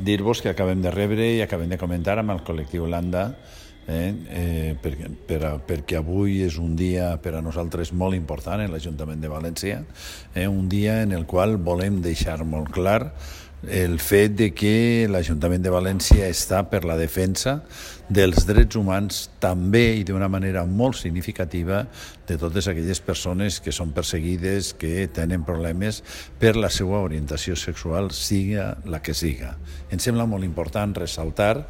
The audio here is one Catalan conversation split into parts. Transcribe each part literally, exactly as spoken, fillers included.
dir-vos que acabem de rebre i acabem de comentar amb el col·lectiu Landa, eh, eh, per, per, perquè avui és un dia per a nosaltres molt important en l'Ajuntament de València, eh, un dia en el qual volem deixar molt clar el fet de que l'Ajuntament de València està per la defensa dels drets humans també i d'una manera molt significativa de totes aquelles persones que són perseguides, que tenen problemes per la seva orientació sexual, siga la que siga. Em sembla molt important ressaltar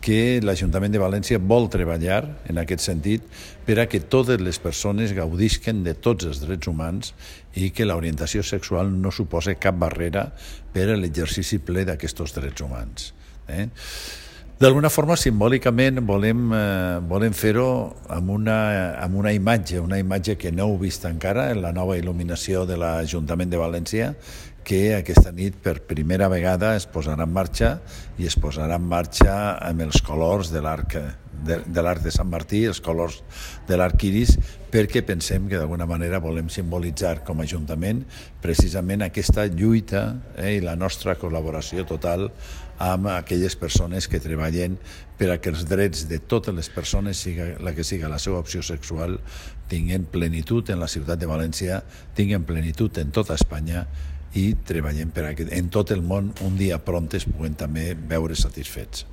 que l'Ajuntament de València vol treballar en aquest sentit per a que totes les persones gaudisquen de tots els drets humans i que l'orientació sexual no suposa cap barrera per a l'exercici ple d'aquests drets humans. Eh? D'alguna forma, simbòlicament, volem, eh, volem fer-ho amb una, amb una imatge, una imatge que no heu vist encara en la nova il·luminació de l'Ajuntament de València, que aquesta nit per primera vegada es posarà en marxa i es posarà en marxa amb els colors de l'arc de, de l'arc de Sant Martí, els colors de l'arc iris, perquè pensem que d'alguna manera volem simbolitzar com a Ajuntament precisament aquesta lluita eh, i la nostra col·laboració total amb aquelles persones que treballen per a que els drets de totes les persones, siga la que siga la seva opció sexual, tinguin plenitud en la ciutat de València, tinguin plenitud en tota Espanya i treballem per a que en tot el món un dia pront es puguen també veure satisfets.